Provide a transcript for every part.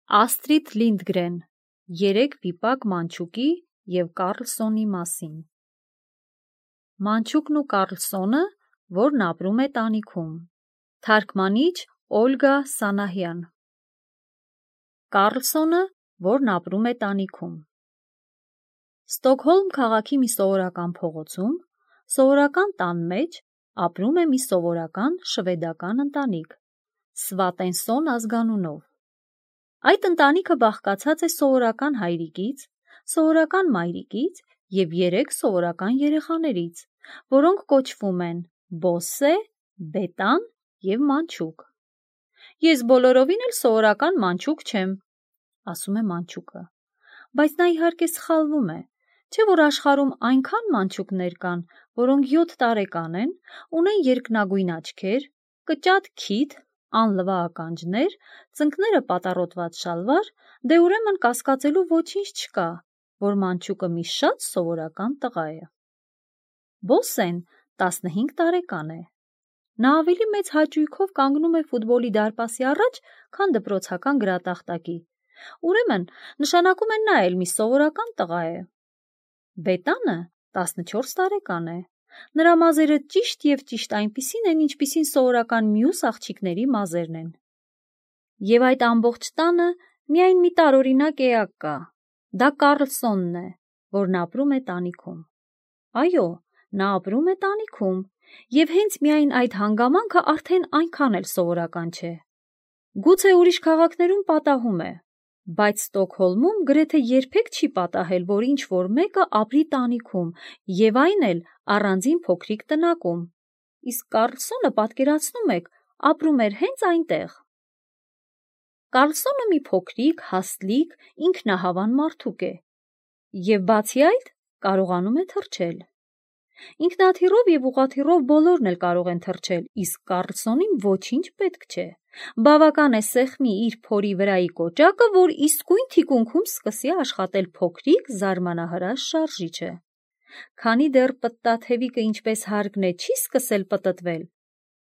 Աստրիդ Լինդգրեն երեք վիպակ մանչուկի և Կարլսոնի մասին։ Մանչուկն ու Կարլսոնը, որն ապրում է տանիքում։ Թարգմանիչ Օլգա Սանահյան։ Կարլսոնը, որն ապրում է տանիքում։ Ստոկհոլմ քաղաքի մի սովորական փողոցում, սովորական տան մեջ ապրում է մի սովորական շվեդական ընտանիք՝ Սվատենսոն ազգանունով։ Այդ ընտանիքը բաղկացած է սովորական հայրիկից, սովորական մայրիկից և 3 սովորական երեխաներից, որոնք կոչվում են Բոսսե, Բետան և Մանչուկ։ Ես բոլորովին էլ սովորական մանչուկ չեմ, ասում է մանչուկը, բայց նա իհարկե սխալվում է, չէ՞ որ աշխարհում այնքան մանչուկներ կան, որոնք 7 տարեկան են, ունեն երկնագույն աչքեր, կճատ քիթ, անլվա ականջներ, ծնկները պատառոտված շալվար, դե ուրեմն կասկածելու ոչինչ չկա, որ մանչուկը մի շատ սովորական տղա է։ Բոսսեն 15 տարեկան է։ Նա ավելի մեծ հաճույքով կանգնում է ֆուտբոլի դարպասի առաջ, քան դպրոցական գրատախտակի, ուրեմն նշանակում է նա էլ մի սովորական տղա է։ Բետանը 14 տարեկան է։ Նրա մազերը ճիշտ և ճիշտ այնպիսին են, ինչպիսին սովորական մյուս աղջիկների մազերն են։ Եվ այդ ամբողջ տանը միայն մի տարօրինակ էակ կա, դա Կարլսոնն է, որն ապրում է տանիքում։ Այո, նա ապրում է տանիքում, և հենց միայն այդ հանգամանքը արդեն այնքան էլ սովորական չէ։ Գուցե ուրիշ քաղաքներում պատահում է, բայց Ստոկհոլմում գրեթե երբեք չի պատահել, որ ինչ-որ մեկը ապրի տանիքում, և այն էլ առանձին փոքրիկ տնակում, իսկ Կարլսոնը, պատկերացնում եք, ապրում էր հենց այնտեղ։ Կարլսոնը մի փոքրիկ, հաստլիկ, ինքնահավան մարդուկ է, և բացի այդ կարողանում է թռչել։ Ինքնաթիռով և ուղղաթիռով բոլորն էլ կարող են թռչել, իսկ Կարլսոնին ոչինչ պետք չէ։ Բավական է սեղմի իր փորի վրայի կոճակը, որ իսկույն թիկունքում սկսի աշխատել փոքրիկ, զարմանահրաշ շարժիչը։ Քանի դեռ պտտաթևիկը ինչպես հարկն է չի սկսել պտտվել,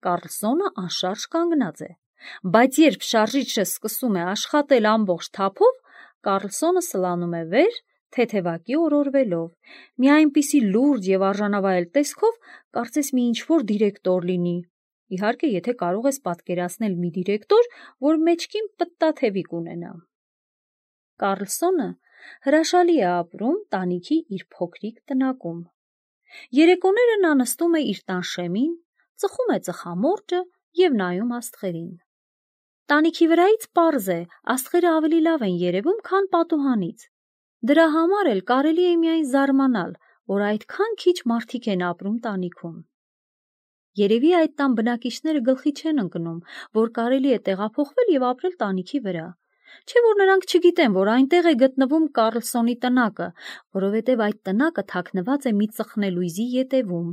Կարլսոնը անշարժ կանգնած է, բայց երբ շարժիչը սկսում է աշխատել ամբողջ թափով, Կարլսոնը սլանում է վեր, թեթևակի օրորվելով, մի այնպիսի լուրջ և արժանավայել տեսքով, կարծես մի ինչ-որ դիրեկտոր լինի, իհարկե, եթե կարող ես պատկերացնել մի դիրեկտոր, որ մեջքին պտտաթևիկ ունենա։ Կարլսոնը հրաշալի է ապրում տանիքի իր փոքրիկ տնակում։ Երեկոները նա նստում է իր տան շեմին, ծխում է ծխամորճը և նայում աստղերին։ Տանիքի վրայից պարզ է, աստղերը ավելի լավ են երևում, քան պատուհանից։ Դրա համար էլ կարելի է միայն զարմանալ, որ այդքան քիչ մարդիկ են ապրում տանիքում։ Երևի այդ տան բնակիչները գլխի չեն ընկնում, որ կարելի է տեղափոխվել և ապրել տանիքի վրա, չէ՞ որ նրանք չգիտեն, որ այնտեղ է գտնվում Կարլսոնի տնակը, որովհետև այդ տնակը թաքնված է մի ծխնելույզի ետևում։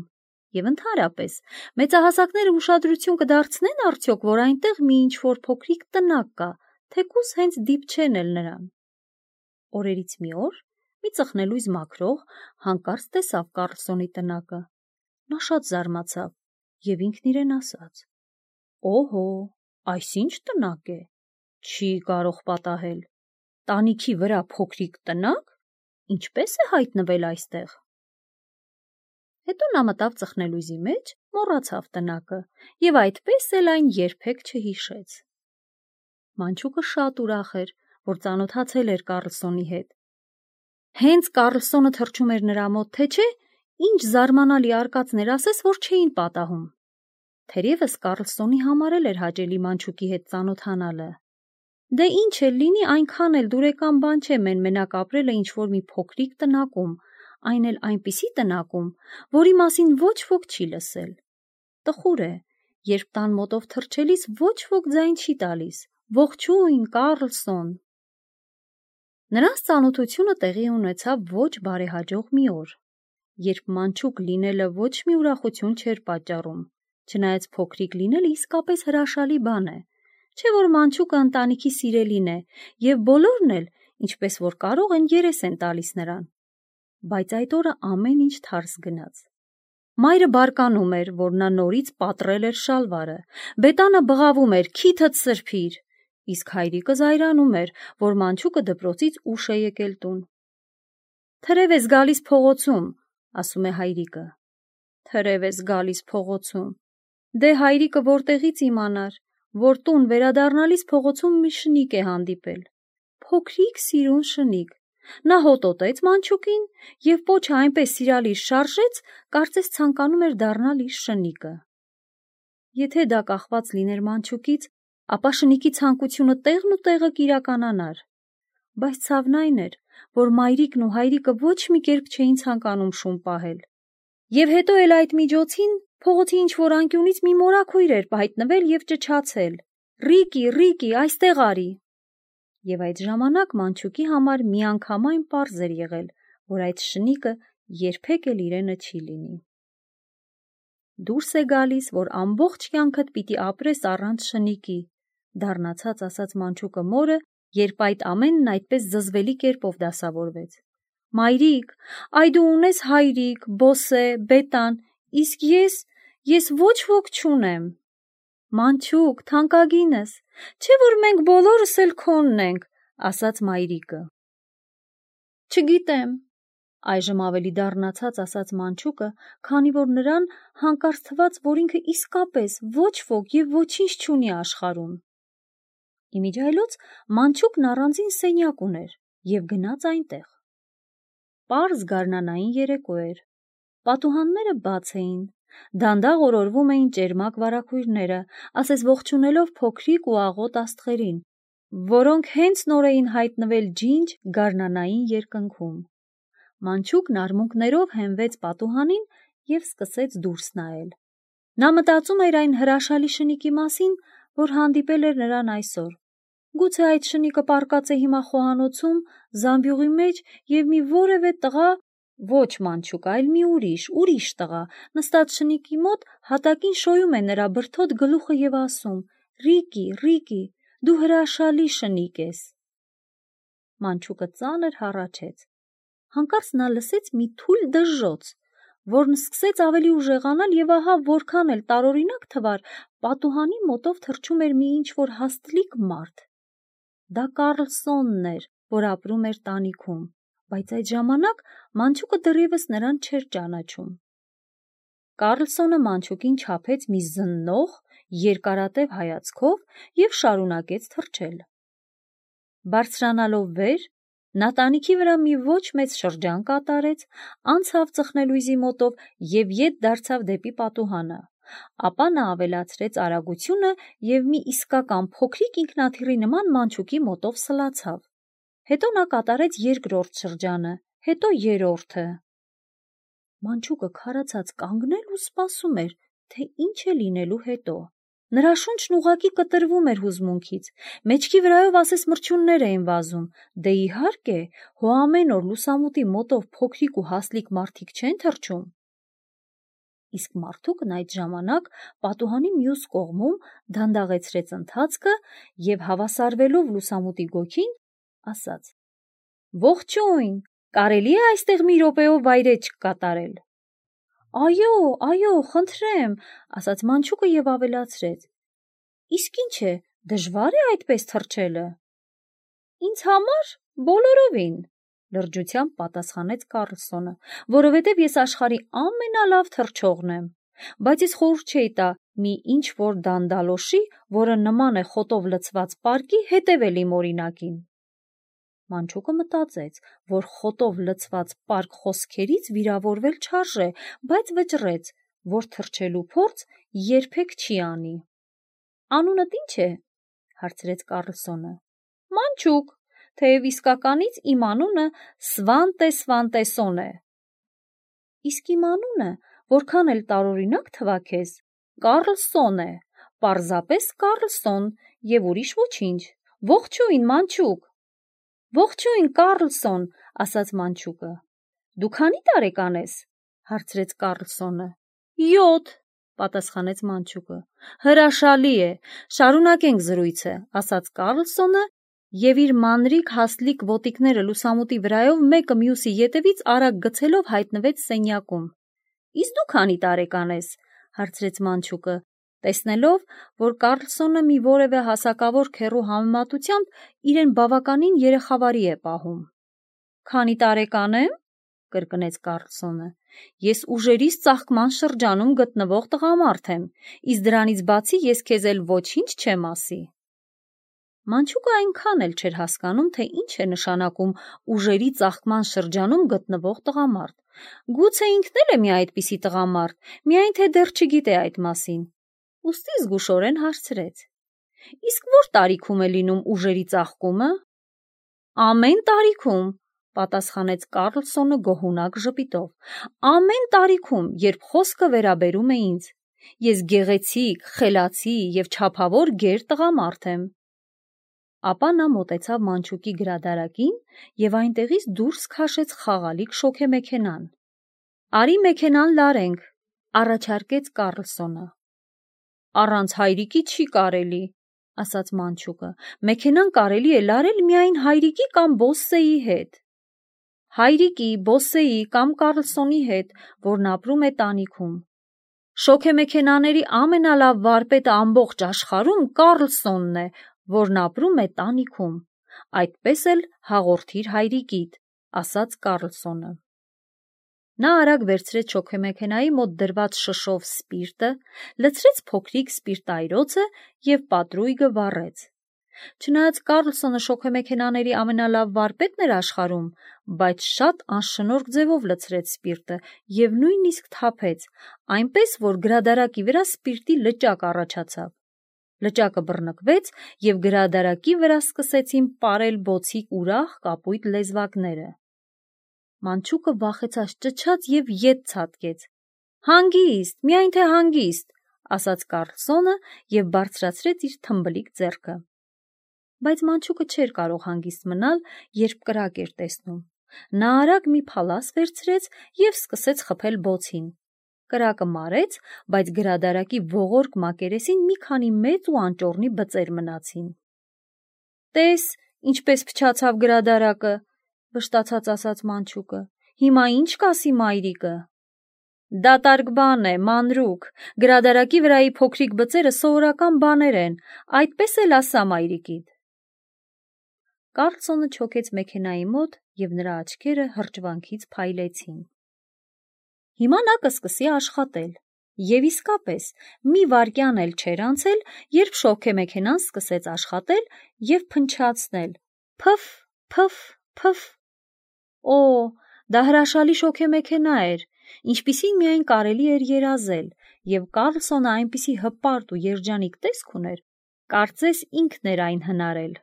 Եվ ընդհանրապես, մեծահասակները ուշադրություն կդարձնեն արդյոք, որ այնտեղ մի ինչ-որ փոքրիկ տնակ կա, թեկուզ հենց դիպչեն էլ նրան։ Օրերից մի օր մի ծխնելույզ մաքրող հանկարծ տեսավ Կարլսոնի տնակը։ Նա շատ զարմացավ և ինքն իրեն ասաց. «Օհո, այս ինչ տնակ է, չի կարող պատահել, տանիքի վրա փոքրիկ տնակ, ինչպե՞ս է հայտնվել այստեղ»։ Հետո նա մտավ ծխնելույզի մեջ, մոռացավ տնակը և այդպես էլ այն երբեք չհիշեց։ Մանչուկը շատ ուրախ էր, որ ծանոթացել էր Կարլսոնի հետ։ Հենց Կարլսոնը թռչում էր նրա մոտ, թե չէ, ինչ զարմանալի արկածներ ասես, որ չէին պատահում։ Թերևս Կարլսոնի համար էլ էր հաճելի մանչուկի հետ ծանոթանալը։ Դե ինչ էլ լինի, այնքան էլ դուրեկան բան չէ մեն-մենակ ապրելը ինչ-որ մի փոքրիկ տնակում, այն էլ այնպիսի տնակում, որի մասին ոչ ոք չի լսել։ Տխուր է, երբ տան մոտով թռչելիս ոչ ոք ձայն չի տալիս. «Ողջույն, Կարլսոն»։ Նրանց ծանոթությունը տեղի ունեցավ ոչ բարեհաջող մի օր, երբ մանչուկ լինելը ոչ մի ուրախություն չէր պատճառում, չնայած փոքրիկ լինելը իսկապես հրաշալի բան է, չէ՞ որ մանչուկը ընտանիքի սիրելին է, և բոլորն էլ, ինչպես որ կարող են, երես են տալիս նրան։ Բայց այդ օրը ամեն ինչ թարս գնաց։ Մայրը բարկանում էր, որ նա նորից պատռել էր շալվարը, Բետանը բղավում էր՝ «Քիթդ սրբիր», իսկ հայրիկը զայրանում էր, որ մանչուկը դպրոցից ուշ է եկել տուն։ «Թրև ես գալիս փողոցում», ասում է հայրիկը։ «Թրև ես գալիս փողոցում»։ Դե հայրիկը որտեղից իմանար, որ տուն վերադառնալիս փողոցում մի շնիկ է հանդիպել։ Փոքրիկ սիրուն շնիկ։ Նա հոտոտեց մանչուկին և պոչը այնպես սիրալիր շարժեց, կարծես ցանկանում էր դառնալ իր շնիկը։ Եթե դա կախված լիներ մանչուկից, ապա շնիկի ցանկությունը տեղն ու տեղը կիրականանար։ Բայց ցավն այն էր, որ մայրիկն ու հայրիկը ոչ մի կերպ չէին ցանկանում շուն պահել։ Եվ հետո էլ այդ միջոցին փողոցի ինչ-որ անկյունից մի մորաքույր էր հայտնվել և ճչացել. «Ռիկի, Ռիկի, այստեղ արի»։ Եվ այդ ժամանակ մանչուկի համար միանգամայն պարզ էր եղել, որ այդ շնիկը երբեք էլ իրենը չի լինի։ Դուրս է գալիս, որ ամբողջ կյանքդ պիտի ապրես առանց շնիկի, դառնացած ասաց մանչուկը մորը, երբ այդ ամենն այդպես զզվելի կերպով դասավորվեց։ Մայրիկ, այ դու ունես հայրիկ, բոսե, բետան, իսկ ես ոչ ոք չունեմ։ Մանչուկ, թանկագինս, չէ՞ որ մենք բոլորս էլ քոնն ենք, ասաց մայրիկը։ Չգիտեմ, այժմ ավելի դառնացած ասաց մանչուկը, քանի որ նրան հանկարծ թվաց, որ ինքը իսկապես ոչ ոք և ոչինչ չունի աշխարհում։ Իմիջիայլոց մանչուկն առանձին սենյակ ուներ և գնաց այնտեղ։ Պարզ գարնանային երեկո էր։ Պատուհանները բաց էին, դանդաղ օրորվում էին ճերմակ վարագույրները, ասես ողջունելով փոքրիկ ու աղոտ աստղերին, որոնք հենց նոր էին հայտնվել ջինջ գարնանային երկնքում։ Մանչուկն արմունկներով հենվեց պատուհանին և սկսեց դուրս նայել։ Նա մտածում էր այն հրաշալի շնիկի մասին, որ հանդիպել էր նրան այսօր։ Գուցե այդ շնիկը պառկած է հիմա խոհանոցում, զամբյուղի մեջ և մի որևէ տղա, ոչ մանչուկ, այլ մի ուրիշ տղա, նստած շնիկի մոտ հատակին շոյում է նրա բրդոտ գլուխը և ասում. «Ռիկի, Ռիկի, դու հրաշալի շնիկ ես»։ Մանչուկը ծանր հառաչեց։ Հանկարծ նա լսեց մի թույլ դժժոց, որն սկսեց ավելի ուժեղանալ և ահա որքան էլ տարօրինակ թվար, պատուհանի մոտով թռչում էր մի ինչ-որ հաստլիկ մարդ։ Դա Կառլսոնն էր, որ ապրում էր տանիքում, բայց այդ ժամանակ մանչուկը դեռևս նրան չէր ճանաչում։ Կառլսոնը մանչուկին չափեց մի զննող, երկարատև հայացքով և շարունակեց թռչել։ Բարձրանալով վեր, նա տանիքի վրա մի ոչ մեծ շրջան կատարեց, անցավ ծխնելույզի մոտով և ետ դարձավ դեպի պատուհանը, ապա նա ավելացրեց արագությունը և մի իսկական փոքրիկ ինքնաթիռի նման մանչուկի մոտով սլացավ։ Հետո նա կատարեց երկրորդ շրջանը, հետո երրորդը։ Մանչուկը քարացած կանգնել ու սպասում էր, թե ինչ է լինելու հետո։ Նրա շունչն ուղղակի կտրվում էր հուզմունքից, մեջքի վրայով ասես մրջյուններ էին վազում, դե իհարկե, հո ամեն օր լուսամուտի մոտով փոքրիկ ու հաստլիկ մարդիկ չեն թռչում։ Իսկ մարդուկն այդ ժամանակ պատուհանի մյուս կողմում դանդաղեցրեց ընթացքը և հավասարվելով լուսամուտի գոգին, ասաց. «Ողջույն, կարելի է այստեղ մի րոպեով վայրէջք կատարել»։ Այո, խնդրեմ, ասաց մանչուկը և ավելացրեց. Իսկ ինչ է, դժվա՞ր է այդպես թռչելը։ Ինձ համար բոլորովին, լրջությամբ պատասխանեց Կառլսոնը, որովհետև ես աշխարհի ամենալավ թռչողն եմ, բայց ես խորհուրդ չէի տա մի ինչ-որ դանդալոշի, որը նման է խոտով լցված պարկի, հետևել իմ օրինակին։ Մանչուկը մտածեց, որ խոտով լցված պարկ խոսքերից վիրավորվել չարժե, բայց վճռեց, որ թռչելու փորձ երբեք չի անի։ Անունդ ի՞նչ է, հարցրեց Կառլսոնը։ Մանչուկ, թեև իսկականից իմ անունը Սվանտեսոն է։ Իսկ իմ անունը, որքան էլ տարօրինակ թվա քեզ, Կառլսոն է, պարզապես Կառլսոն և ուրիշ ոչինչ։ Ողջույն, մանչուկ։ Ողջույն, Կառլսոն, ասաց մանչուկը։ Դու քանի տարեկան ես, հարցրեց Կառլսոնը։ 7, պատասխանեց մանչուկը։ Հրաշալի է, շարունակենք զրույցը, ասաց Կառլսոնը և իր մանրիկ հաստլիկ ոտիկները լուսամուտի վրայով մեկը մյուսի ետևից արագ գցելով հայտնվեց սենյակում։ Իսկ դու քանի տարեկան ես, հարցրեց մանչուկը, Տեսնելով, որ Կարլսոնը մի որևէ հասակավոր քեռու համեմատությամբ իրեն բավականին երեխավարի է պահում։ «Քանի տարեկան եմ», կրկնեց Կարլսոնը, «ես ուժերիս ծաղկման շրջանում գտնվող տղամարդ եմ, իսկ դրանից բացի ես քեզ էլ ոչինչ չեմ ասի»։ Մանչուկը այնքան էլ չէր հասկանում, թե ինչ է նշանակում ուժերի ծաղկման շրջանում գտնվող տղամարդ։ Գուցե ինքն էլ է մի այդպիսի տղամարդ, միայն թե դեռ չգիտե այդ մասին։ Ուստի զգուշորեն հարցրեց. «Իսկ որ տարիքում է լինում ուժերի ծաղկումը»։ «Ամեն տարիքում», պատասխանեց Կարլսոնը գոհունակ ժպիտով, «ամեն տարիքում, երբ խոսքը վերաբերում է ինձ։ Ես գեղեցիկ, խելացի և չափավոր գեր տղամարդ եմ»։ Ապա նա մոտեցավ մանչուկի գրադարակին և այնտեղից դուրս քաշեց խաղալիք շոգեմեքենան։ «Արի մեքենան լարենք», առաջարկեց Կարլսոնը։ «Առանց հայրիկի չի կարելի», ասաց մանչուկը, «մեքենան կարելի է լարել միայն հայրիկի կամ Բոսսեի հետ»։ Հայրիկի, Բոսսեի կամ Կարլսոնի հետ, որն ապրում է տանիքում։ Շոգեմեքենաների ամենալավ վարպետը ամբողջ աշխարհում Կարլսոնն է, որն ապրում է տանիքում։ Այդպես էլ հաղորդիր հայրիկիդ, ասաց Կարլսոնը։ Նա արագ վերցրեց շոգեմեքենայի մոտ դրված շշով սպիրտը, լցրեց փոքրիկ սպիրտայրոցը և պատրույգը վառեց։ Չնայած Կարլսոնը շոգեմեքենաների ամենալավ վարպետն էր աշխարհում, բայց շատ անշնորհք ձևով լցրեց սպիրտը և նույնիսկ թափեց, այնպես որ գրադարակի վրա սպիրտի լճակ առաջացավ։ Լճակը բռնկվեց և գրադարակի վրա սկսեցին պարել բոցիկ ուրախ կապույտ լեզվակները։ Մանչուկը վախեցած ճչաց և ետ ցատկեց։ «Հանգիստ, միայն թե հանգիստ», ասաց Կարլսոնը և բարձրացրեց իր թմբլիկ ձեռքը։ Բայց մանչուկը չէր կարող հանգիստ մնալ, երբ կրակ էր տեսնում։ Նա արագ մի փալաս վերցրեց և սկսեց խփել բոցին։ Կրակը մարեց, բայց գրադարակի ողորկ մակերեսին մի քանի մեծ ու անճոռնի բծեր մնացին։ «Տես, ինչպես փչացավ գրադարակը», վշտացած ասաց մանչուկը, «հիմա ինչ կասի մայրիկը»։ «Դատարկ բան է, մանրուք, գրադարակի վրայի փոքրիկ բծերը սովորական բաներ են, այդպես էլ ասա մայրիկիդ»։ Կարլսոնը չոքեց մեքենայի մոտ և նրա աչքերը հրճվանքից փայլեցին։ Հիմա նա կսկսի աշխատել։ Եվ իսկապես, մի վայրկյան էլ չէր անցել, երբ շոգեմեքենան սկսեց աշխատել և փնչացնել. «Փը՛ֆ, փը՛ֆ, փը՛ֆ»։ Օ, դա հրաշալի շոգեմեքենա էր, ինչպիսին միայն կարելի էր երազել, և Կարլսոնը այնպիսի հպարտ ու երջանիկ տեսք ուներ, կարծես ինքն էր այն հնարել։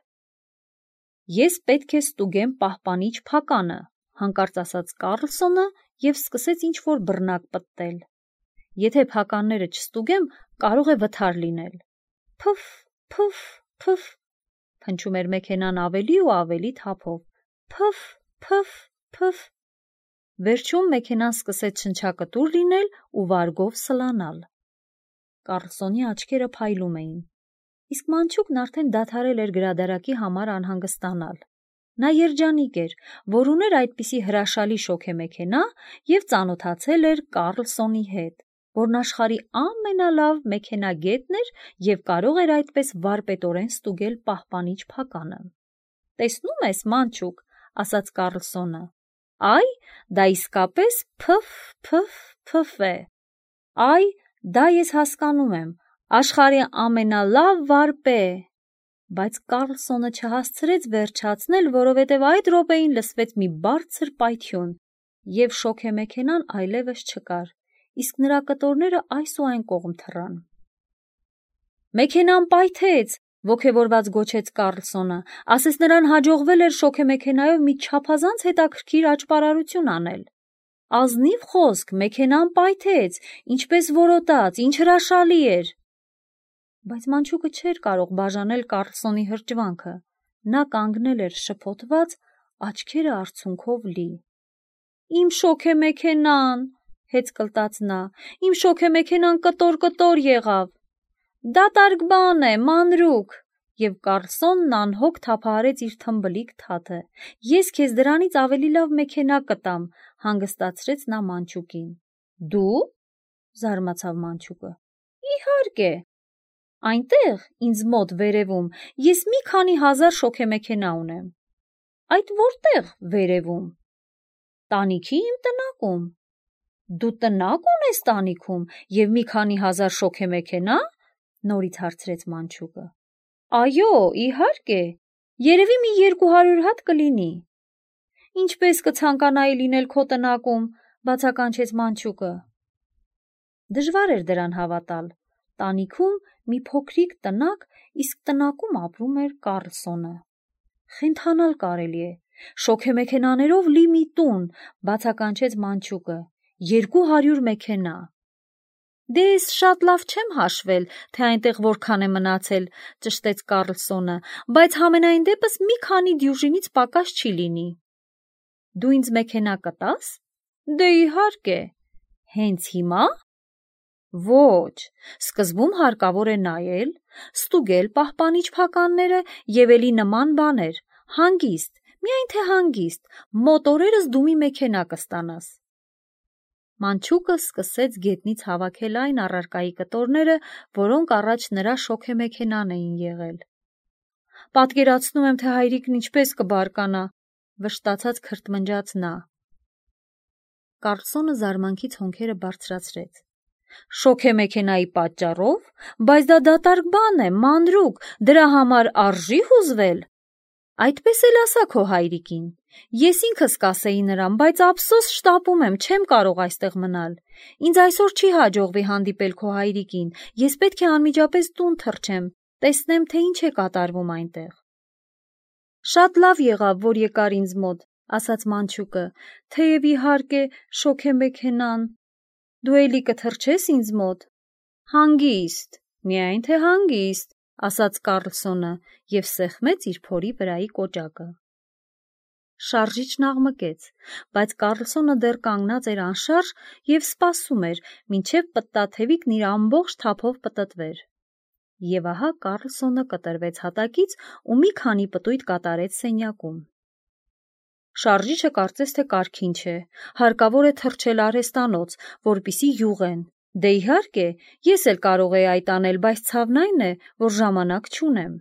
«Ես պետք է ստուգեմ պահպանիչ փականը», հանկարծ ասաց Կարլսոնը և սկսեց ինչ-որ բռնակ պտտել։ «Եթե փականները չստուգեմ, կարող է վթար լինել»։ «Փը՛ֆ, փը՛ֆ, փը՛ֆ», փնչում էր մեքենան ավելի ու ավելի թափով։ «Փը՛ֆ, փը՛ֆ, փը՛ֆ»։ Վերջում մեքենան սկսեց շնչակտուր լինել ու վարգով սլանալ։ Կարլսոնի աչքերը փայլում էին։ Իսկ մանչուկն արդեն դադարել էր գրադարակի համար անհանգստանալ։ Նա երջանիկ էր, որ ուներ այդպիսի հրաշալի շոգեմեքենա և ծանոթացել էր Կարլսոնի հետ, որն աշխարհի ամենալավ մեքենագետն էր և կարող էր այդպես վարպետորեն ստուգել պահպանիչ փականը։ «Տեսնում ես, մանչուկ», ասաց Կարլսոնը, «այ, դա իսկապես փը՛ֆ, փը՛ֆ, փը՛ֆ է։ Այ, դա ես հասկանում եմ, աշխարհի ամենալավ վարպե»։ Բայց Կարլսոնը չհասցրեց վերջացնել, որովհետև այդ րոպեին լսվեց մի բարձր պայթյուն, և շոգեմեքենան այլևս չկար, իսկ նրա կտորները այս ու այն կողմ թռան։ «Մեքենան պայթեց», ոգևորված գոչեց Կարլսոնը, ասես նրան հաջողվել էր շոգեմեքենայով մի չափազանց հետաքրքիր աճպարարություն անել։ «Ազնիվ խոսք, մեքենան պայթեց, ինչպես որոտաց, ինչ հրաշալի էր»։ Բայց մանչուկը չէր կարող բաժանել Կարլսոնի հրճվանքը։ Նա կանգնել էր շփոթված, աչքերը արցունքով լի։ «Իմ շոգեմեքենան», հեծկլտաց նա, «իմ շոգեմեքենան կտոր-կտոր եղավ»։ «Դատարկ բան է, մանրուք», և Կարլսոնն անհոգ թափահարեց իր թմբլիկ թաթը։ «Ես քեզ դրանից ավելի լավ մեքենա կտամ», հանգստացրեց նա մանչուկին։ «Դու»։ զարմացավ մանչուկը։ «Իհարկե», Այնտեղ, ինձ մոտ վերևում, ես մի քանի հազար շոգեմեքենա ունեմ։ Այդ որտեղ վերևում։ Տանիքի իմ տնակում։ Դու տնակ ունես տանիքում և մի քանի հազար շոգեմեքենա, նորից հարցրեց մանչուկը։ Այո, իհարկե, երևի մի 200 հատ կլինի։ Ինչպես կցանկանայի լինել քո տնակում, բացականչեց մանչուկը։ Դժվար էր դրան հավատալ։ Տանիքում մի փոքրիկ տնակ, իսկ տնակում ապրում էր Կարլսոնը։ Խենթանալ կարելի է, շոգեմեքենաներով լի մի տուն, բացականչեց մանչուկը, 200 մեքենա։ Դե ես շատ լավ չեմ հաշվել, թե այնտեղ որքան է մնացել, ճշտեց Կարլսոնը, բայց համենայն դեպս մի քանի դյուժինից պակաս չի լինի։ Դու ինձ մեքենա կտաս։ Դե իհարկե։ Հենց հիմա։ Ոչ, սկզբում հարկավոր է նայել, ստուգել պահպանիչ փականները և էլի նման բաներ, հանգիստ, միայն թե հանգիստ, մոտ օրերս դու մի մեքենա կստանաս։ Մանչուկը սկսեց գետնից հավաքել այն առարկայի կտորները, որոնք առաջ նրա շոգեմեքենան էին եղել։ Պատկերացնում եմ, թե հայրիկն ինչպես կբարկանա, վշտացած քրթմնջաց նա։ Կարլսոնը զարմանքից հոնքերը բարձրացրեց։ Շոգեմեքենայի պատճառով, բայց դա դատարկ բան է, մանրուք, դրա համար արժի հուզվել։ Այդպես էլ ասա քո հայրիկին։ Ես ինքս կասեի նրան, բայց ափսոս շտապում եմ, չեմ կարող այստեղ մնալ։ Ինձ այսօր չի հաջողվի հանդիպել քո հայրիկին, ես պետք է անմիջապես տուն թռչեմ, տեսնեմ, թե ինչ է կատարվում այնտեղ։ Շատ լավ եղավ, որ եկար ինձ մոտ, ասաց մանչուկը, թեև իհարկե շոգեմեքենան։ Դու էլի կթռչես ինձ մոտ։ Հանգիստ, միայն թե հանգիստ, ասաց Կարլսոնը և սեղմեց իր փորի վրայի կոճակը։ Շարժիչն աղմկեց, բայց Կարլսոնը դեռ կանգնած էր անշարժ և սպասում էր, մինչև պտտաթևիկն իր ամբողջ թափով պտտվեր։ Եվ ահա Կարլսոնը կտրվեց հատակից ու մի քանի պտույտ կատարեց սենյակում։ Շարժիչը կարծես թե կարգին չէ, հարկավոր է թռչել արհեստանոց, որպեսզի յուղեն։ Դե իհարկե, ես էլ կարող էի այդ անել, բայց ցավն այն է, որ ժամանակ չունեմ։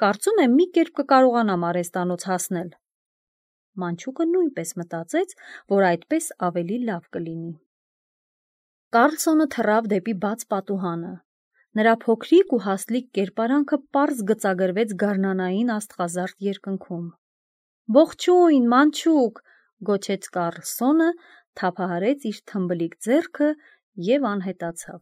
Կարծում եմ մի կերպ կկարողանամ արհեստանոց հասնել։ Մանչուկը նույնպես մտածեց, որ այդպես ավելի լավ կլինի։ Կարլսոնը թռավ դեպի բաց պատուհանը։ Նրա փոքրիկ ու հասլիկ կերպարանքը պարզ գծագրվեց գարնանային աստղազարդ երկնքում։ Ողջույն, մանչուկ, գոչեց Կարլսոնը, թափահարեց իր թմբլիկ ձեռքը և անհետացավ։